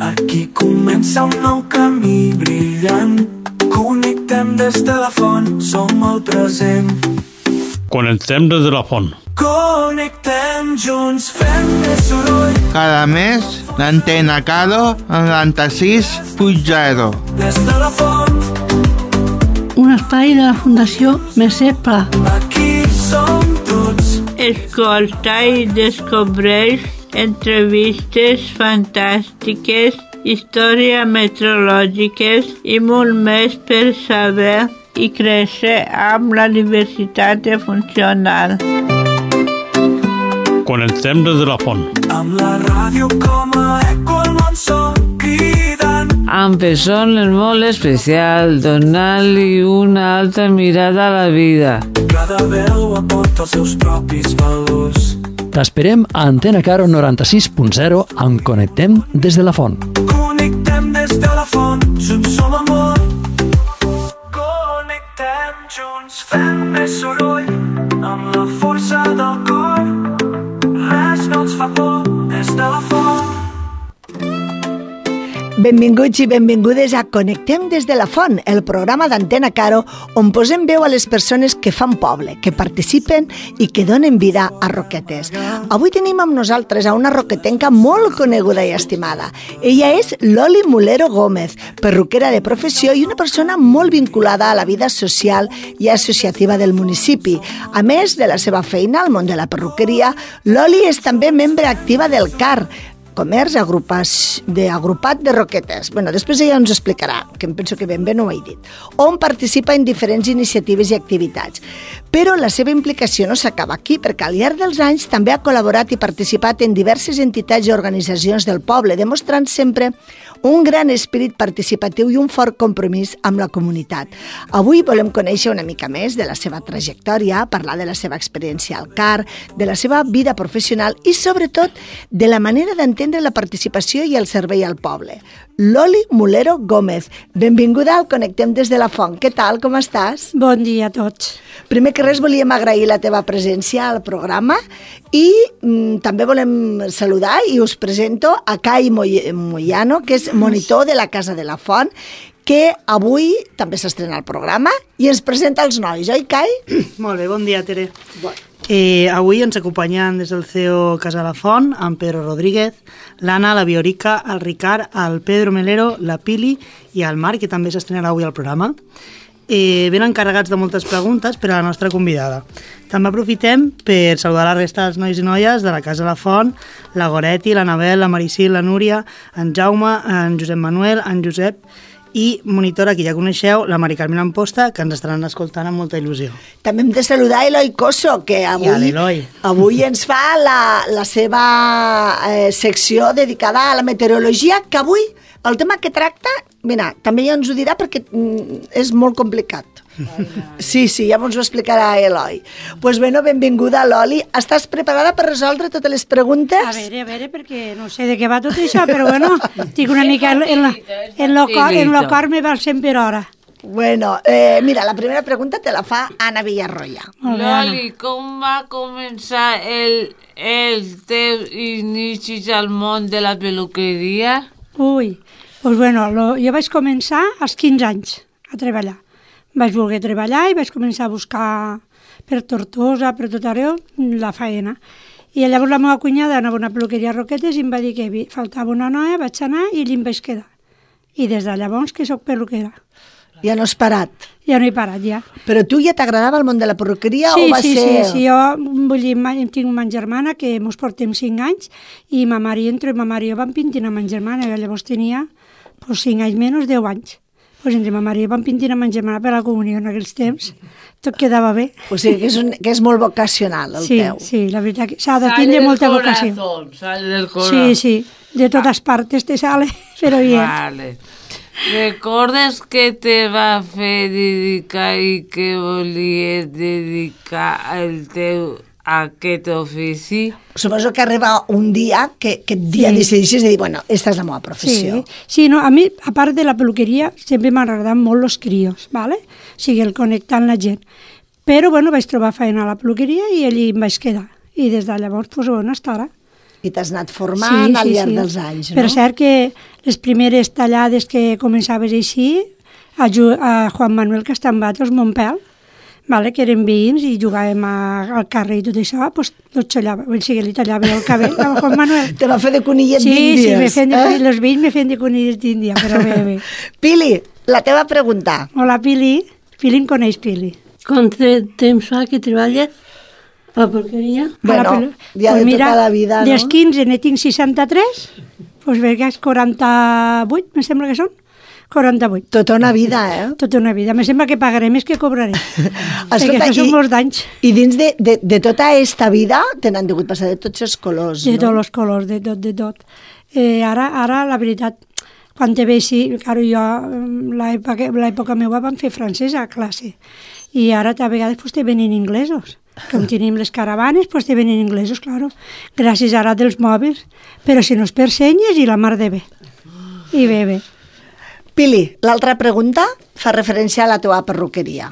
Aquí comença un nou camí brillant. Connectem des de la font, som el present. Connectem des de la font. Connectem junts, fem més soroll. Cada mes, l'Antena Caro 96.0. Des de la font. Un espai de la Fundació Mercè Pla. Aquí som tots. Escolta i descobreix entrevistes fantàstiques, històries meteorològiques i molt més per saber i créixer amb la diversitat funcional. Connectem des de la font. Amb la ràdio com a eco al món som cridant. Amb persones molt especials, donant-li una altra mirada a la vida. Cada veu aporta els seus propis valors. T'esperem a Antena Caro 96.0 amb Connectem des de la font. Connectem des de la font, junts som amor. Connectem junts, fem més soroll. Amb la força del cor, res no ens fa por des de la font. Benvinguts i benvingudes a Connectem des de la Font, el programa d'Antena Caro on posem veu a les persones que fan poble, que participen i que donen vida a Roquetes. Avui tenim amb nosaltres a una roquetenca molt coneguda i estimada. Ella és Loli Mulero Gómez, perruquera de professió i una persona molt vinculada a la vida social i associativa del municipi. A més de la seva feina al món de la perruqueria, Loli és també membre activa del CAR, Comerç Agrupat de Roquetes. Després ella ens explicarà, que em penso que ben bé no ho he dit, on participa en diferents iniciatives i activitats. Però la seva implicació no s'acaba aquí, perquè al llarg dels anys també ha col·laborat i participat en diverses entitats i organitzacions del poble, demostrant sempre un gran espírit participatiu i un fort compromís amb la comunitat. Avui volem conèixer una mica més de la seva trajectòria, parlar de la seva experiència al CAR, de la seva vida professional i, sobretot, de la manera d'entendre la participació i el servei al poble. Loli Mulero Gómez, benvinguda al Connectem des de la Font. Què tal, com estàs? Bon dia a tots. Primer que res volíem agrair la teva presència al programa i també volem saludar i us presento a Kai Moyano, que és monitor de la Casa de la Font, que avui també s'estrena el programa i ens presenta els nois, oi, Kai? Molt bé, bon dia, Tere. Avui ens acompanyen des del CEO Casa de la Font, en Pedro Rodríguez, l'Anna, la Viorica, el Ricard, el Pedro Melero, la Pili i el Marc, que també s'estrenarà avui al programa. Venen carregats de moltes preguntes per a la nostra convidada. També aprofitem per saludar la resta dels nois i noies de la Casa de la Font, la Goretti, l'Anabel, la Maricil, la Núria, en Jaume, en Josep Manuel, en Josep i monitora, que ja coneixeu, la Mari Carmen Amposta, que ens estaran escoltant amb molta il·lusió. També hem de saludar Eloi Coso, que avui ens fa la seva secció dedicada a la meteorologia, que avui el tema que tracta, mira, també ja ens ho dirà perquè és molt complicat. Sí, ja ens ho explicarà Eloi. Doncs benvinguda, Loli. Estàs preparada per resoldre totes les preguntes? A veure, perquè no sé de què va tot això, però tinc una mica en lo cor me va al 100 per hora. Mira, la primera pregunta te la fa Anna Villarroya. Loli, com va començar el teu inicis al món de la peluqueria? Jo vaig començar als 15 anys a treballar. Vaig voler treballar i vaig començar a buscar per Tortosa, per tot arreu, la faena. I llavors la meva cunyada anava a una peluqueria a Roquetes i em va dir que faltava una noia, vaig anar i allí em vaig quedar. I des de llavors que soc peluquera. Ja no has parat? Ja no he parat, ja. Però tu ja t'agradava el món de la perruqueria o va ser...? Sí, jo tinc una germana que mos portem 5 anys i ma mare i jo vam pintinar amb ma germana, jo llavors tenia 5 anys menys, 10 anys. Entre ma mare i jo vam pintinar amb ma germana per la comunió en aquells temps, tot quedava bé. O sigui que és molt vocacional el teu. Sí, la veritat que s'ha de tindre molta vocació. Sale del corazón. Sí, de totes partes te sale, però bien. Vale. ¿Recordes què te va fer dedicar i què volies dedicar el teu a aquest ofici? Suposo que arriba un dia que aquest dia decideixes de dir, esta és la meva professió. Sí, a mi, a part de la peluqueria, sempre m'han agradat molt els crios, ¿vale? O sigui, el connectar amb la gent. Però, vaig trobar feina a la peluqueria i allí em vaig quedar. I des de llavors, hasta ara. I t'has anat formant al llarg dels anys, no? Per cert que les primeres tallades que començaves així, a Juan Manuel Castambato, els Montpel, que eren veïns i jugàvem al carrer i tot això, doncs li tallava el cabell al Juan Manuel. Te va fer de conillet d'Índies. Sí, els veïns me feien de conillet d'Índia, però bé. Pili, la teva pregunta. Hola, Pili. Pili em coneix, Pili. Quant temps fa que treballes a la porqueria? Bueno, ja de tota la vida, no? Dels 15 ne tinc 63, doncs veig 48, me sembla que són. 48. Tota una vida, Tota una vida. Me sembla que pagaré més que cobraré. Escolta, són molts d'anys. I dins de tota aquesta vida te n'han degut passar de tots els colors, no? De tots els colors, de tot. Ara, la veritat, quan te veixi, claro, jo, l'època meva vam fer francès a classe, i ara a vegades pues, te venen inglesos. Com tenim les caravanes, pues te venen inglesos, claro, gràcies ara dels mòbils, però si no és per senyes i la mar de bé. I bé. Pili, l'altra pregunta fa referència a la teva perruqueria.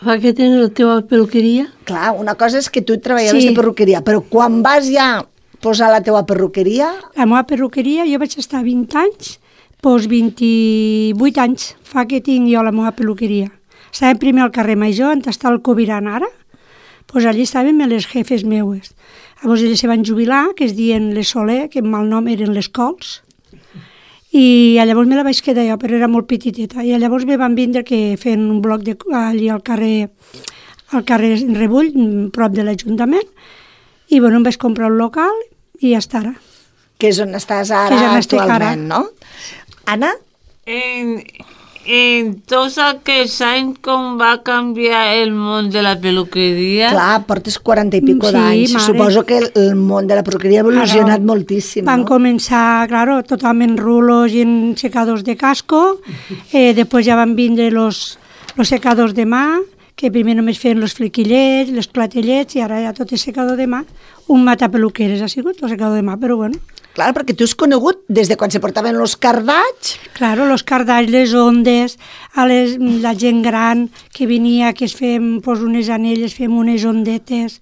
Fa que tens la teva perruqueria? Clar, una cosa és que tu treballaves de perruqueria, però quan vas ja posar la teva perruqueria... La meva perruqueria, jo vaig estar 20 anys, doncs 28 anys fa que tinc jo la meva perruqueria. Estàvem primer al carrer Major, on està el Coviran ara, doncs allí estàvem les jefes meues. Llavors elles se van jubilar, que es diuen les Soler, que en mal nom eren les Cols, i llavors me la vaig quedar jo, però era molt petiteta, i llavors me van vindre que feien un bloc allí al carrer Rebull, prop de l'Ajuntament, i bueno, em vaig comprar un local i ja està ara. Que és on estàs ara actualment, no? Anna? En tots aquests anys, com va canviar el món de la peluqueria? Clar, portes 40 i pico d'anys. Suposo que el món de la peluqueria ha evolucionat moltíssim, no? Van començar, claro, totalment rulos i en secadors de casco, després ja van vindre los secadors de mà, que primer només feien els flequillets, les clatellets, i ara ja tot és secador de mà. Un matapeluqueres ha sigut, el secador de mà, però bueno. Clar, perquè tu has conegut des de quan se portaven els cardats. Claro, els cardats, les ondes, la gent gran que venia, que es fem unes anelles, fem unes ondetes.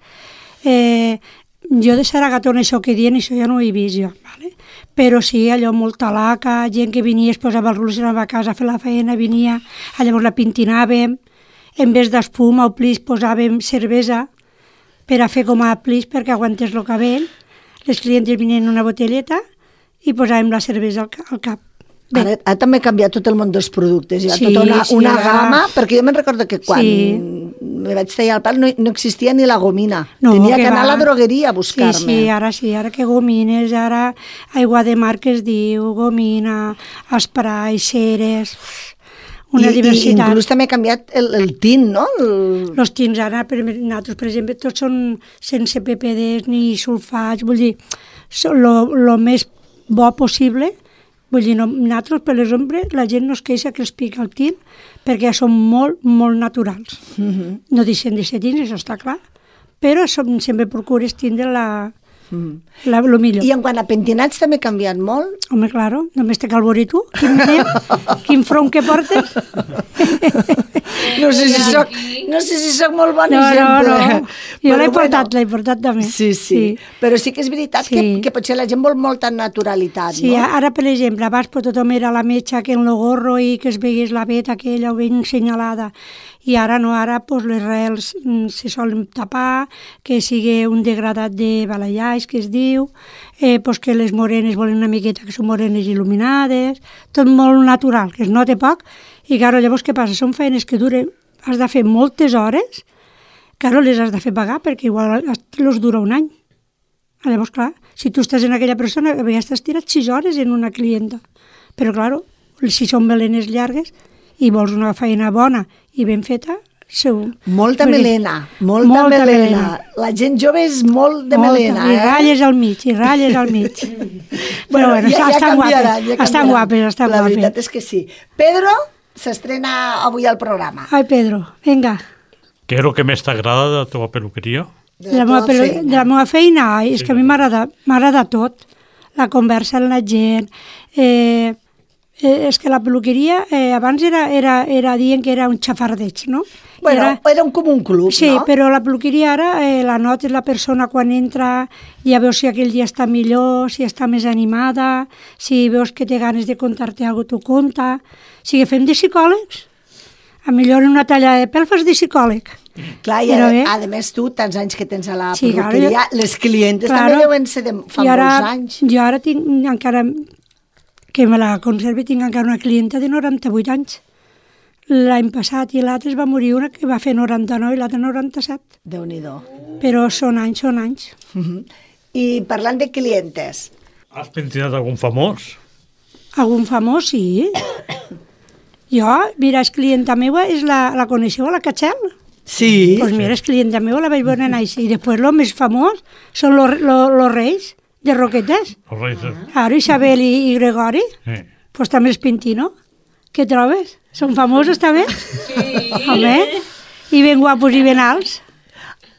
Jo de Saragatona, això que diuen, això ja no ho he vist jo, ¿vale? Però sí, allò molta laca, gent que venia, es posava el rulos, anava a casa a fer la feina, venia, llavors la pintinàvem, en vez d'espuma o plis posàvem cervesa per a fer com a plis perquè aguantés el cabell. Les clientes venien una botelleta i posàvem la cervesa al cap. Ara també ha canviat tot el món dels productes, hi ha tota una gamma, perquè jo me'n recordo que quan me vaig tallar el pal no existia ni la gomina, tenia que anar a la drogueria a buscar-me. Sí, ara que gomines, ara aigua de mar que es diu, gomina, esprai, ceres... una diversitat. I inclús també ha canviat el tint, no? Els tints ara, nosaltres, per exemple, tots són sense PPDs ni sulfats, vull dir, el més bo possible. Vull dir, nosaltres, per l'exemple, la gent no es queixa que els pica el tint perquè són molt, molt naturals. No deixen de ser tints, això està clar, però sempre procures tindre lo millor. I en quant a pentinats també ha canviat molt? Home, claro, només te cal veure tu, quin front que portes. No sé si soc molt bon exemple. No. Jo l'he portat també. Sí. Però sí que és veritat que potser la gent vol molta naturalitat, no? Sí, ara, per exemple, abans tothom era la metxa que en lo gorro i que es veigués la veta aquella ben senyalada. I ara no, ara les rels se solen tapar, que sigui un degradat de balayage, que es diu, que les morenes volen una miqueta que són morenes il·luminades, tot molt natural, que es nota poc, i claro, llavors què passa? Són feines que duren, has de fer moltes hores, claro, les has de fer pagar, perquè igual els dura un any. Llavors, clar, si tu estàs en aquella persona, ja estàs tirat 6 hores en una clienta, però claro, si són melenes llargues, i vols una feina bona i ben feta, segur. Molta melena. La gent jove és molt de melena. I ratlles al mig. Bueno, estan guapes. La veritat és que sí. Pedro s'estrena avui al programa. Ai, Pedro, venga. ¿Qué es lo que más te agrada de la teva peluqueria? De la meva feina, és que a mi m'agrada tot. La conversa amb la gent, És que la peluqueria abans era dient que era un xafardeig, no? Bueno, era com un club, sí, no? Sí, però la peluqueria ara la notes la persona quan entra, ja veus si aquell dia està millor, si està més animada, si veus que té ganes de contar-te alguna cosa, t'ho conta. O sigui, fem de psicòlegs. A millor una talla de pèl fas de psicòleg. Clar, i a més tu, tants anys que tens a la peluqueria, les clientes també deuen ser de fa molts anys. Jo ara tinc encara, que me la conservi, tinc encara una clienta de 98 anys. L'any passat i l'altre es va morir una que va fer 99 i l'altre 97. Déu-n'hi-do. Però són anys. I parlant de clientes... Has pentinat algun famós? Algun famós, sí. Jo, mira, és clienta meva, la coneixeu, la Cachel? Sí. Doncs mira, és clienta meva, la vaig veure anar així. I després el més famós són los reis de Roquetes. Els reis. Ara, Isabel i Gregori. Pues també els Pintino. Què trobes? Són famosos també? Sí. Home, i ben guapos i ben alts.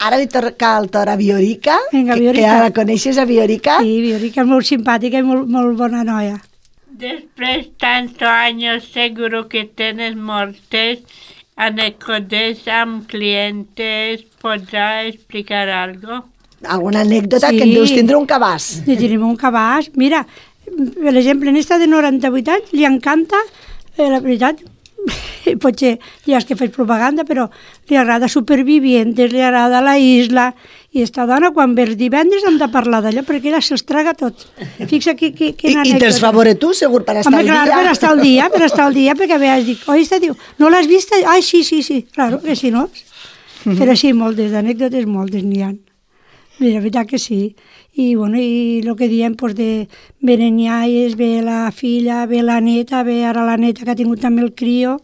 Ara li toca el torn a Viorica. Vinga, Viorica. Que ja la coneixes, a Viorica? Sí, Viorica és molt simpàtica i molt bona noia. Después de tantos años, seguro que tienes muchas anécdotas amb clientes. ¿Podrás explicar algo? Alguna anècdota que en deus tindre un cabàs. Sí, tenim un cabàs. Mira, per exemple, en esta de 98 anys li encanta, la veritat, potser ja és que faig propaganda, però li agrada Supervivientes, li agrada La Isla, i esta dona quan ve els divendres hem de parlar d'allò perquè ella se'ls traga tot. Fixa quina anècdota. I te'ls favore tu, segur, per estar al dia. Home, clar, per estar al dia, perquè a vegades dic, oi, esta diu, no l'has vista? Ai, sí, claro, que si no. Però sí, moltes anècdotes, moltes n'hi ha. Mira, la veritat que sí. I, bueno, i el que diem, doncs, de venen iaies, ve la filla, ve la neta, ve ara la neta que ha tingut també el crio,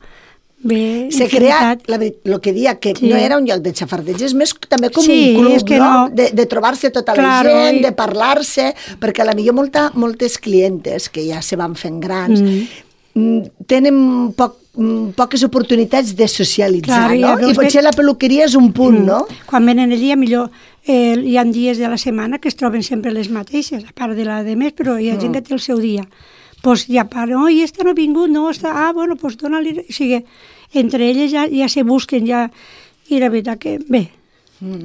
ve se crea, el que dia, que no era un lloc de xafardeig, és més també com un club, no? De trobar-se tota la gent, de parlar-se, perquè a la millor moltes clientes que ja se van fent grans tenen poques oportunitats de socialitzar, no? I potser la peluqueria és un punt, no? Quan venen allí, millor hi ha dies de la setmana que es troben sempre les mateixes, a part de la de més, però hi ha gent que té el seu dia. Doncs ja parlen, i esta no ha vingut, no, està... bueno, doncs dona-li... O sigui, entre elles ja se busquen, ja... I la veritat que, bé,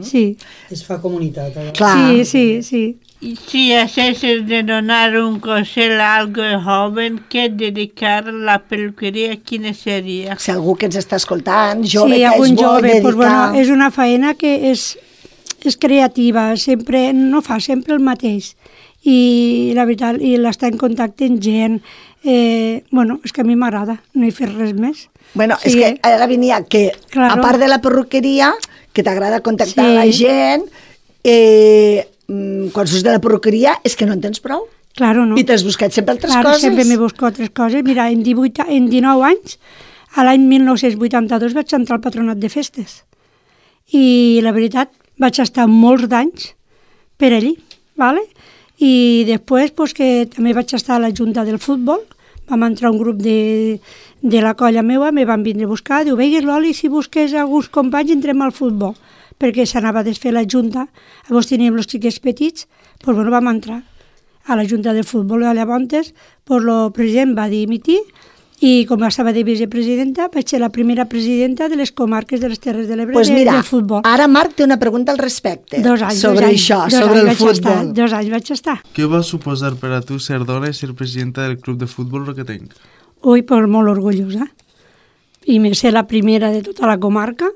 sí. Es fa comunitat. Clar. Sí. Y si haces de donar un consell a algo joven que dedicar la peluqueria, quina seria? Si algú que ens està escoltant, jove, sí, que es vol dedicar... Pues, bueno, és una feina que és creativa, sempre, no fa sempre el mateix. I la veritat, i l'està en contacte amb gent. Bueno, és que a mi m'agrada, no he fet res més. Bueno, és que ara venia que, a part de la perruqueria, que t'agrada contactar amb la gent, quan surts de la perruqueria és que no en tens prou. Claro, no. I t'has buscat sempre altres coses. Sempre m'he buscat altres coses. Mira, en 19 anys, a l'any 1982 vaig entrar al patronat de festes. I la veritat, vaig estar molts d'anys per allí, ¿vale? I després, pues, que també vaig estar a la Junta del Futbol, vam entrar un grup de la colla meva, me van vindre a buscar, diu, veigues l'Oli, si busques alguns companys entrem al futbol, perquè s'anava a desfer la Junta, llavors teníem els xiquets petits, doncs bueno, vam entrar a la Junta del Futbol, i llavors el president va dimitir, i com estava de vicepresidenta, vaig ser la primera presidenta de les comarques de les Terres de l'Ebre del futbol. Ara Marc té una pregunta al respecte sobre això, sobre el futbol. 2 anys vaig estar. Què va suposar per a tu ser dona i ser presidenta del club de futbol roquetenc? Ui, pues molt orgullosa. I més ser la primera de tota la comarca.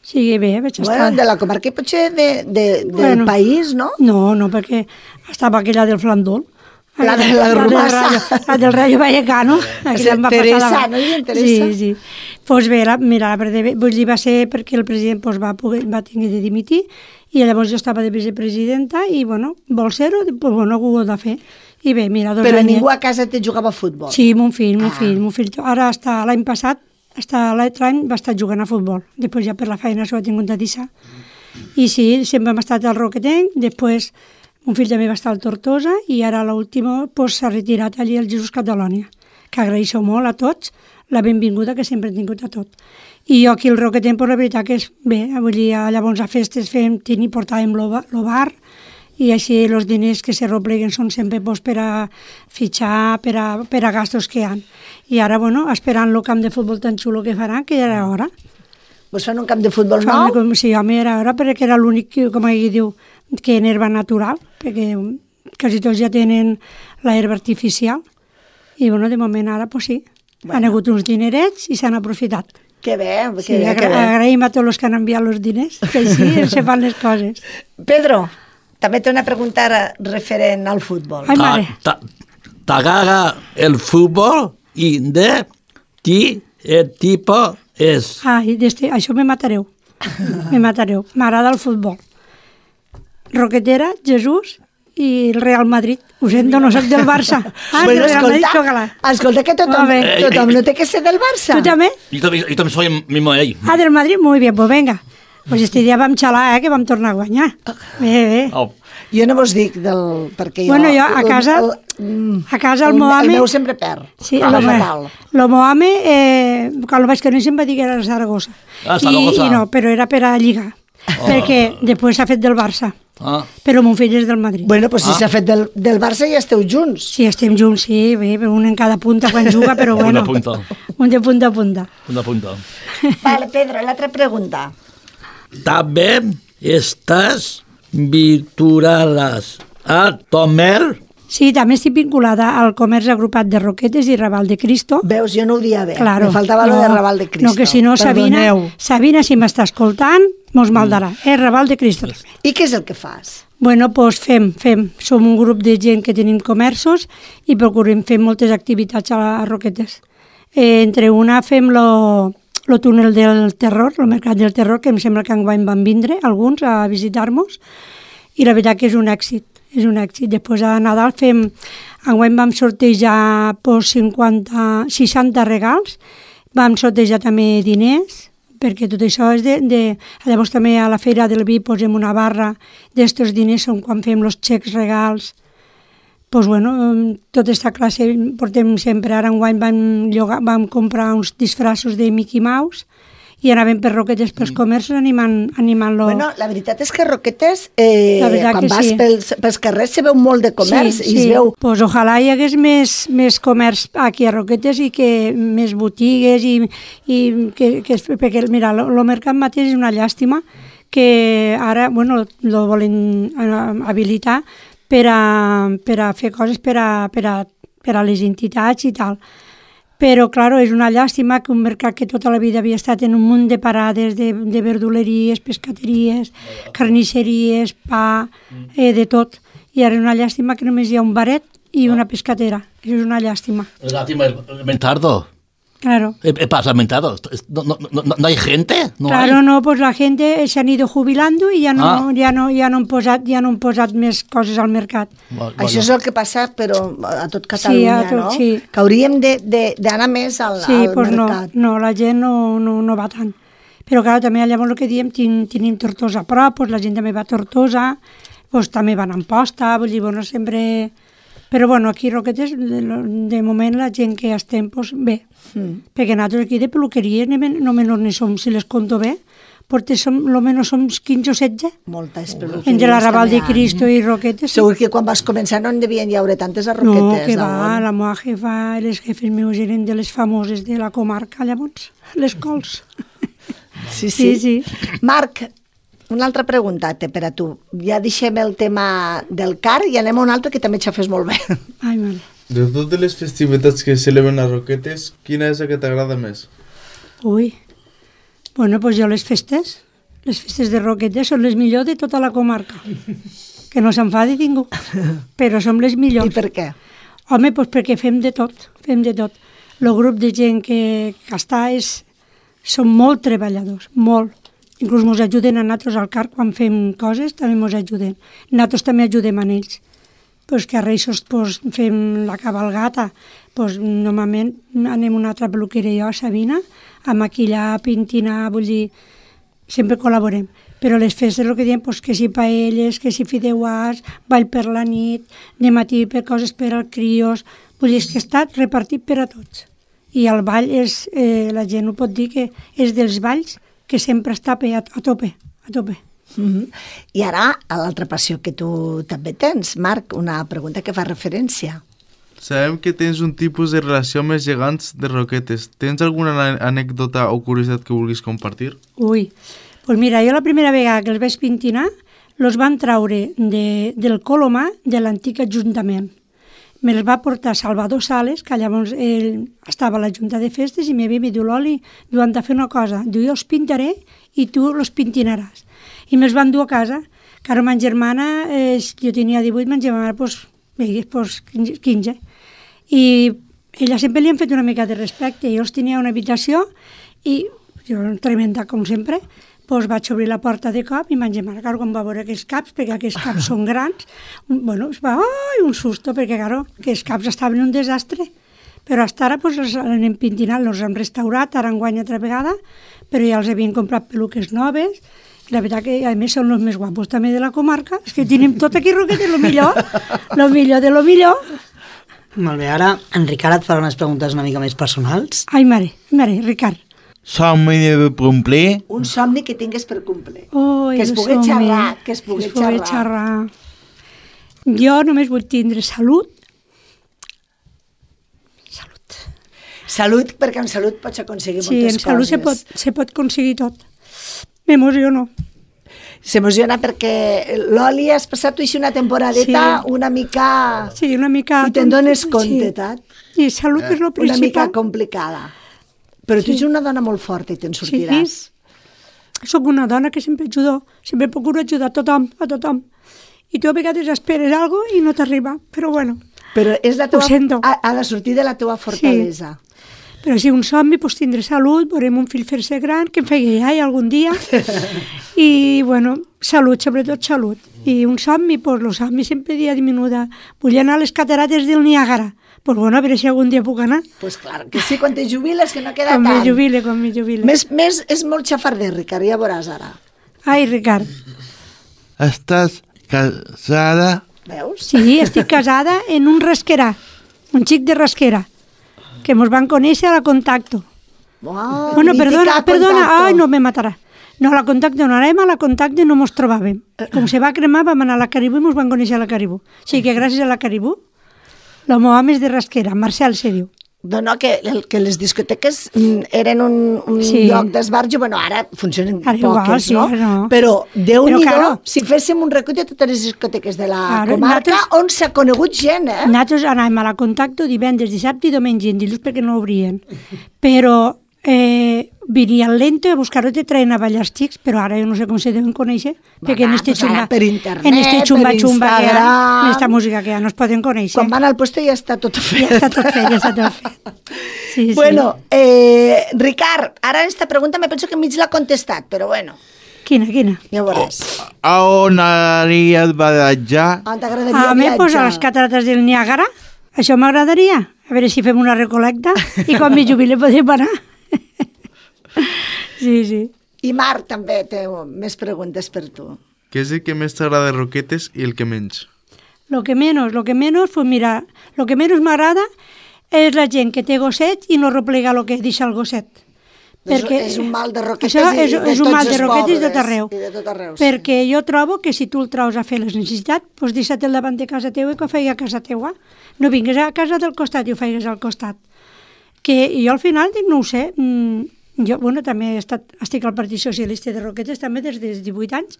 Sí, bé, vaig estar... Bueno, de la comarca i potser del país, no? No, perquè estava aquella del Flandol. La de la Rumassa. La del Rayo Vallecano. Teresa, no hi ha Teresa? Sí. Doncs bé, mira, va ser perquè el president va tenir de dimitir i llavors jo estava de vicepresidenta i, bueno, vol ser-ho, doncs, bueno, ho he de fer. I bé, mira, 2 anys... Però ningú a casa te jugava a futbol? Sí, mon fill. Ara, l'any passat, l'altre any va estar jugant a futbol. Després ja per la feina s'ho ha tingut a deixar. I sí, sempre hem estat al Roquetenc, després... Un fill també va estar al Tortosa i ara l'últim s'ha retirat allí al Jesús Catalònia, que agraeixo molt a tots la benvinguda que sempre he tingut a tot. I jo aquí al Roquetenc, la veritat que és bé, vull dir, llavors a festes portàvem lo bar i així els diners que se repleguen són sempre pues, per a fitxar, per a gastos que hi ha. I ara, bueno, esperant el camp de futbol tan xulo que faran, que ja era hora. Vos fan un camp de futbol nou? Sí, home, era hora, perquè era l'únic, com ell diu, que en herba natural, perquè quasi tots ja tenen l'herba artificial. I, bueno, de moment ara, pues sí, han hagut uns dinerets i s'han aprofitat. Que bé, que bé. Agraïm a tots els que han enviat els diners, que així se fan les coses. Pedro, també té una pregunta referent al futbol. Ai, mare. T'agrada el futbol i de qui el tipus és? Ai, això me matareu. M'agrada el futbol. Roquetera, Jesús i el Real Madrid. Ho sento, no soc del Barça. Bueno, escolta, que tothom no té que ser del Barça. ¿Tú también? Yo también soy mismo de ahí. Del Madrid? Muy bien, pues venga. Pues este dia vam xalar, que vam tornar a guanyar. Bé. Oh. Jo no vos dic perquè jo... Bueno, jo a casa el Mohamed... El meu sempre perd. Sí, el Mohamed, quan el vaig conèixer em va dir que era el Saragossa. Saragossa. I no, però era per a lligar. Perquè després s'ha fet del Barça. Però mon fill és del Madrid. Bueno, pues si s'ha fet del Barça ja esteu junts. Sí, estem junts, sí, bé, un en cada punta quan juga, però bueno. Un de punta a punta. Vale, Pedro, l'altra pregunta. També estàs vinculades a Tomer? Sí, també estic vinculada al comerç agrupat de Roquetes i Raval de Cristo. Veus, jo no ho dia bé. Claro, me faltava lo de Raval de Cristo. No, que si no, Sabina, si m'està escoltant, mos maldarà. Raval de Cristo. I què és el que fas? Bueno, doncs fem. Som un grup de gent que tenim comerços i procurem fer moltes activitats a Roquetes. Entre una fem el túnel del terror, el mercat del terror, que em sembla que enguany van vindre alguns a visitar-nos, i la veritat que és un èxit. Després a Nadal enguany vam sortejar 60 regals, vam sortejar també diners, perquè tot això és llavors també a la Feira del Vi posem una barra d'estos diners, són quan fem els xecs regals. Doncs bueno, tota aquesta classe portem sempre. Ara enguany vam comprar uns disfraços de Mickey Mouse i anàvem per Roquetes pels comerços animant-lo. Bueno, la veritat és que Roquetes, quan vas pels carrers se veu molt de comerç. Sí. Es veu... Pues ojalà hi hagués més comerç aquí a Roquetes i que més botigues perquè mira, el mercat mateix és una llàstima que ara, bueno, lo volen habilitar per a fer coses per a les entitats i tal. Però, clar, és una llàstima que un mercat que tota la vida havia estat en un munt de parades de verduleries, pescateries, carnisseries, pa, de tot. I ara és una llàstima que només hi ha un baret i una pescatera. Això és una llàstima. Lástima el mentardo. Claro. Pasa el mentado. ¿No hay gente? No, pues la gente se han ido jubilando i ja no han posat més coses al mercat. Això és el que passa, però a tot Catalunya, no? Sí. Que hauríem d'anar més al mercat. No, la gent no va tant. Però clar, també llavors el que diem, tenim Tortosa a prop, la gent també va a Tortosa, també van a Amposta, vull dir, bueno, sempre... Però bueno, aquí a Roquetes, de moment la gent que estem, bé, perquè nosaltres aquí de peluqueries no menys ni som, si les conto bé, perquè almenys som 15 o 16. Moltes peluqueries. Entre la Raval de Cristo i Roquetes. Segur que quan vas començar no en devien hi haure tantes a Roquetes. No, que va, la meva jefa, els jefes meus eren de les famoses de la comarca, llavors, les cols. Sí. Marc, una altra pregunta per a tu. Ja deixem el tema del car i anem a un altre que també xafes molt bé. Ai, mare. De totes les festivitats que es celebren a Roquetes, quina és la que t'agrada més? Ui, bueno, doncs jo les festes de Roquetes són les millors de tota la comarca. Que no s'enfadi ningú, però som les millors. I per què? Home, doncs perquè fem de tot. El grup de gent que està són molt treballadors, molt. Inclús ens ajuden a nosaltres al car quan fem coses, també ens ajuden. Nosaltres també ajudem a ells. Pues que a Reis fem la cabalgata, normalment anem a una altra peluqueria, jo, a Sabina, a maquillar, a pintinar, vull dir, sempre col·laborem. Però les festes, el que diem, que si paelles, que si fideuàs, ball per la nit, de matí per coses per als crios, vull dir, és que està repartit per a tots. I el ball la gent ho pot dir que és dels balls que sempre està a tope. I ara, a l'altra passió que tu també tens, Marc, una pregunta que fa referència. Sabem que tens un tipus de relació amb els gegants de roquetes. Tens alguna anècdota o curiositat que vulguis compartir? Ui, doncs mira, jo la primera vegada que els vaig pintinar, els van traure del Colomar de l'antic ajuntament. Me'ls va portar Salvador Sales, que llavors ell estava a la Junta de Festes, i m'havia dit, Loli, diu, han de fer una cosa, diu, jo els pintaré i tu els pintinaràs. I me'ls van dur a casa, que ara ma germana, jo tenia 18, ma germana, doncs 15. I ella sempre li han fet una mica de respecte. Jo els tenia una habitació i jo, tremenda, com sempre, doncs vaig obrir la porta de cop i ma germana, quan va veure aquells caps, perquè aquells caps són grans, bueno, es va, un susto, perquè, aquells caps estaven un desastre. Però fins ara els anem pintinant, els hem restaurat, ara enguany altra vegada, però ja els havien comprat peluques noves, i la veritat que, a més, són els més guapos també de la comarca, és que tenim tot aquí, Roquetes, lo millor de lo millor. Molt bé, ara en Ricard et farà unes preguntes una mica més personals. Ai, mare, Ricard. Somni de complir. Un somni que tingues per complir. Oh, que es pugui xerrar, que es pugui xerrar. Jo només vull tindre salut. Salut, perquè amb salut pots aconseguir moltes coses. Sí, amb salut se pot aconseguir tot. M'emociono. S'emociona perquè, Loli, has passat tu així una temporadeta una mica... Sí, una mica... I te'n dones compte, tant? I salut és el principal. Una mica complicada. Però tu ets una dona molt forta i te'n sortiràs. Sí, soc una dona que sempre ajudo, sempre procuro ajudar a tothom. I tu a vegades esperes alguna cosa i no t'arriba, però bueno, però és la ho sento. Ha de sortir de la teva fortalesa. Sí. Però si un somni, doncs tindré salut, veurem un fill fer-se gran, que em faci iaia algun dia. I, bueno, salut, sobretot salut. I un somni, doncs el somni sempre dia diminuda. Vull anar a les catarates del Niàgara. Doncs bueno, a veure si algun dia puc anar. Doncs clar, que sí, quan te jubiles, que no queda tant. Quan me jubile. Més és molt xafarder, Ricard, ja veuràs ara. Ai, Ricard. Estàs casada? Veus? Sí, estic casada en un rasquerà, un xic de rasquera, que mos van conèixer a la Contacto. Wow, bueno, perdona, ai, no me matarà. No, a la Contacto no anàvem, a la Contacto no mos trobàvem. Com se va cremar, vam anar a la Caribú i mos van conèixer a la Caribú. O sigui que gràcies a la Caribú, el meu home és de rasquera, Marcel se diu. No, que les discoteques eren un lloc d'esbarjo, bueno, ara funcionen poques, no? Però, Déu-n'hi-do, si féssim un recull de totes les discoteques de la comarca, on s'ha conegut gent, eh? Nosaltres anàvem a la Contacto divendres, dissabte i diumenge, en dilluns perquè no obrien. Però venia el Lento a buscar-ho i te traien a ballar els xics, però ara jo no sé com se deuen conèixer, perquè en este xumba, per internet, per Instagram, en esta música que ja no es poden conèixer. Quan van al puesto ja està tot fet. Ja està tot fet. Sí, bueno, Ricard, ara esta pregunta me penso que mig l'ha contestat, però bueno. Quina? Ja ho veuràs. A on anaries a viatjar? On t'agradaria viatjar? A mi, doncs, a les catarates del Niàgara. Això m'agradaria. A veure si fem una recolecta i quan me jubile podem anar. Sí. I Marc també té més preguntes per tu. Què és el que més t'agrada de Roquetes i el que menys? Lo que menos, pues mira, lo que menos m'agrada és la gent que té gosset i no replega lo que deixa el gosset. Perquè és un mal de Roquetes és un mal de Roquetes de tot arreu. Perquè jo trobo que si tu el traus a fer les necessitats, doncs deixa't-el davant de casa teua i que ho faig a casa teua. No vingues a casa del costat i ho faigues al costat. Que jo al final dic, no ho sé, jo, bueno, també estic al Partit Socialista de Roquetes també des dels 18 anys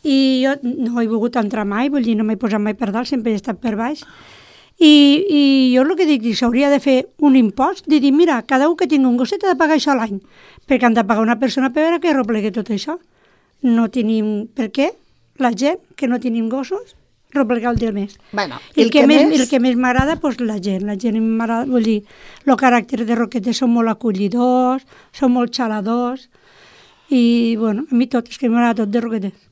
i jo no he volgut entrar mai, vull dir, no m'he posat mai per dalt, sempre he estat per baix. I jo el que dic, s'hauria de fer un impost, de dir, mira, cada un que tingui un gosset ha de pagar això a l'any, perquè han de pagar una persona per veure que replegui tot això. No tenim, per què? La gent que no tenim gossos, replegar el del mes. Bueno, el que més m'agrada, doncs la gent m'agrada, vull dir, el caràcter de Roquetes són molt acollidors, són molt xaladors, i, bueno, a mi tot, és que m'agrada tot de Roquetes.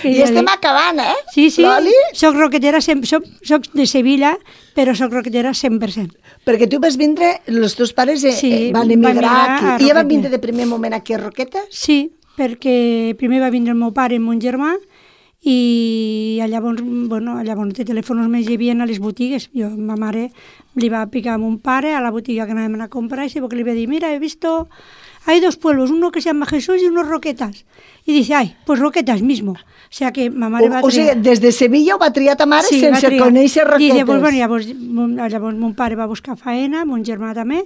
I estem acabant, eh? Sí, Loli? Soc roquetera, soc de Sevilla, però soc roquetera 100%. Perquè tu vas vindre, els teus pares van emigrar aquí. I ja van vindre de primer moment aquí a Roquetes? Sí, perquè primer va vindre el meu pare i el meu germà, i llavors, de telèfons més hi havia a les botigues. Ma mare li va picar a mon pare a la botiga que anàvem a comprar i li va dir, mira, he visto, hay 2 pueblos, uno que se llama Jesús y unos Roquetas. Y dice, ay, pues Roquetas mismo. O sea que ma mare va triar... O sigui, des de Sevilla ho va triar ta mare sense conèixer Roquetes. Dice, pues llavors mon pare va buscar faena, mon germà també,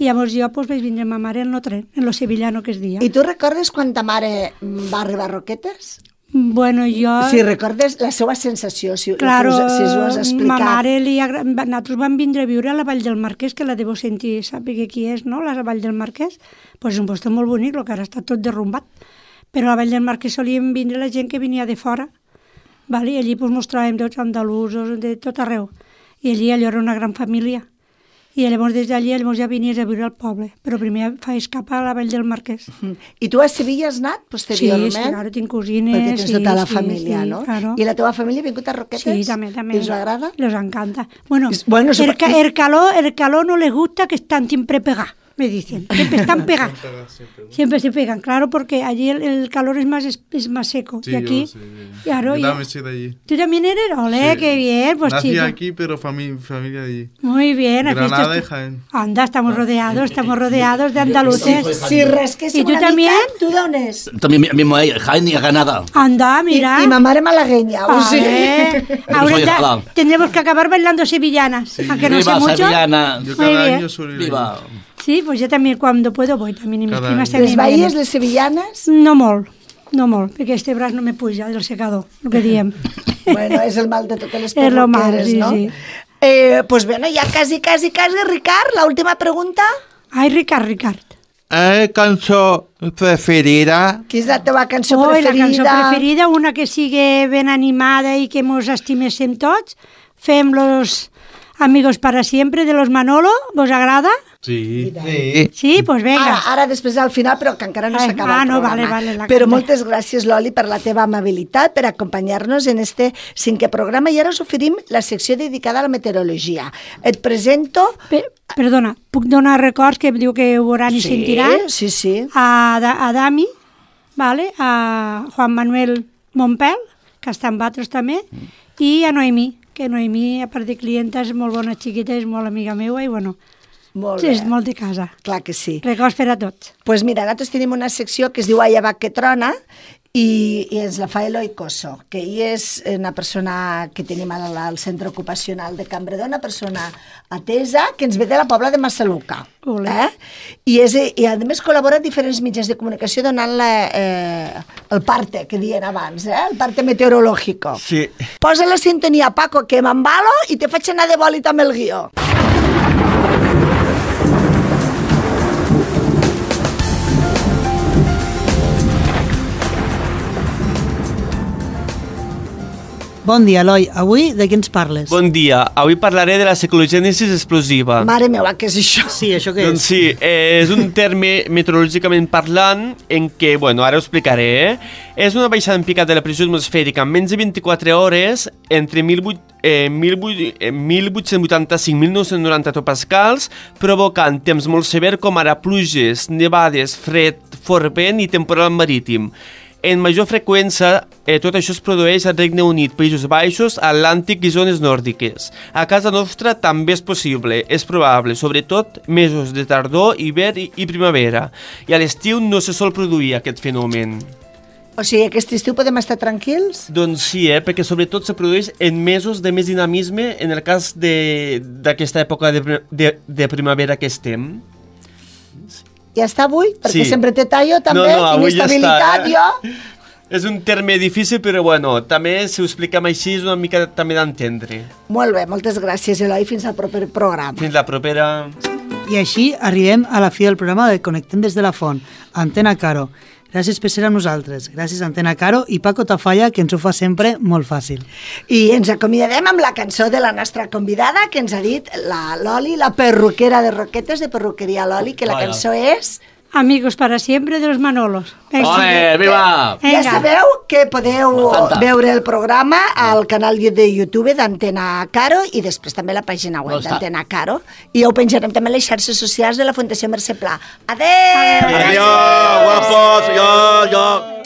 i llavors jo vaig vindre amb ma mare en lo tren, en lo sevillano que es dia. I tu recordes quan ta mare va arribar a Roquetes? Bueno, jo... Si recordes la seva sensació, si claro, ho has explicat. Ma mare, nosaltres vam vindre a viure a la Vall del Marquès, que la deveu sentir, saber qui és, no?, la Vall del Marquès. Pues és un lloc molt bonic, el que ara està tot derrumbat. Però a la Vall del Marquès solíem vindre la gent que venia de fora, i allí mos trobàvem tots andalusos, de tot arreu. I allò era una gran família. I llavors des d'allí ja vinies a viure al poble, però primer faig cap a la Vall del Marquès. I tu a Sevilla has anat posteriorment? Sí, ara tinc cosines. Perquè tens tota la família, no? Claro. I la teva família ha vingut a Roquetes? Sí, també. I us agrada? Les encanta. Bueno, el calor no les gusta que están siempre pegados, me dicen. Siempre están pegados. Siempre se pegan, claro, porque allí el calor es más seco. Sí, y aquí, yo claro, también soy de allí. ¿Tú también eres? Olé, qué bien. Pues nací chico. aquí, pero familia de allí. Muy bien. Granada y Jaén. Anda, estamos rodeados de andaluces. Sí, res que ¿Y tú también? ¿Tú d'on és? También mismo ahí, Jaén y Granada. Anda, mira. Y ma mare malagueña. Ahora tendremos que acabar bailando sevillanas, aunque no sé mucho. Sevillana. Yo cada año suelo ir. Viva. Sí, pues yo también cuando puedo voy también. Y mis primas también. Les baies, les sevillanes? No molt, perquè este braç no me puja del secador, el que diem. Bueno, és el mal de totes les perruqueres, no? Sí. Pues bueno, ja quasi, Ricard, la última pregunta. Ai, Ricard. Cançó preferida? Quina és la teva cançó preferida? La cançó preferida, una que sigui ben animada i que mos estiméssim tots. Fem Los Amigos para Siempre de los Manolo, ¿vos agrada? Sí. Sí, pues venga. Ara després al final, però que encara no s'ha acabat el programa. Vale, però moltes gràcies, Loli, per la teva amabilitat, per acompanyar-nos en este 5è programa. I ara us oferim la secció dedicada a la meteorologia. Et presento... Perdona, puc donar records que diu que ho veuran i sentiran? Sí. A Dami, a Juan Manuel Montpel, que està amb altres també, i a Noemí, que Noemí, a part de clienta, és molt bona xiqueta, és molt amiga meua i bueno... Molt bé. És molt de casa. Clar que sí. Records per a tots. Doncs pues mira, nosaltres tenim una secció que es diu Ai abac que trona i ens la fa Eloi Cosso, que ell és una persona que tenim al centre ocupacional de Cambredó, una persona atesa que ens ve de la Pobla de Massaluca. I a més col·labora en diferents mitjans de comunicació donant el parte que dien abans, el parte meteorológico. Sí. Posa la sintonia, Paco, que m'embalo i te faig anar de bòlit amb el guió. Bon dia, Eloi. Avui de què ens parles? Bon dia. Avui parlaré de la ciclogènesis explosiva. Mare meva, què és això? Sí, això què és? Doncs sí, és un terme meteorològicament parlant en què, bueno, ara ho explicaré, és una baixada en picat de la pressió atmosfèrica en menys de 24 hores entre 1885 i 1990 hectopascals, provocant temps molt sever com ara pluges, nevades, fred, fort vent i temporal marítim. En major freqüència, tot això es produeix al Regne Unit, Països Baixos, Atlàntic i zones nòrdiques. A casa nostra també és possible, és probable, sobretot mesos de tardor, hivern i primavera. I a l'estiu no se sol produir aquest fenomen. O sigui, aquest estiu podem estar tranquils? Doncs sí, perquè sobretot se produeix en mesos de més dinamisme en el cas d'aquesta època de primavera que estem. Ja està avui? Perquè sí. Sempre té tallo, també, inestabilitat, ja jo. És un terme difícil, però bueno, també si ho expliquem així és una mica també d'entendre. Molt bé, moltes gràcies, Eloi, fins al proper programa. Fins la propera. I així arribem a la fi del programa de Connectem des de la Font, Antena Caro. Gràcies per ser amb nosaltres. Gràcies, Antena Caro i Paco Tafalla, que ens ho fa sempre molt fàcil. I ens acomiadem amb la cançó de la nostra convidada, que ens ha dit la Loli, la perruquera de Roquetes, de Perruqueria Loli, que la cançó és... Amigos para siempre de los Manolos. ¡Ole, viva! Ja sabeu que podeu veure el programa al canal de YouTube d'Antena Caro i després també la pàgina web d'Antena Caro. I ho penjarem també a les xarxes socials de la Fundació Mercè Pla. Adéu! Adiós, guapos! Jo!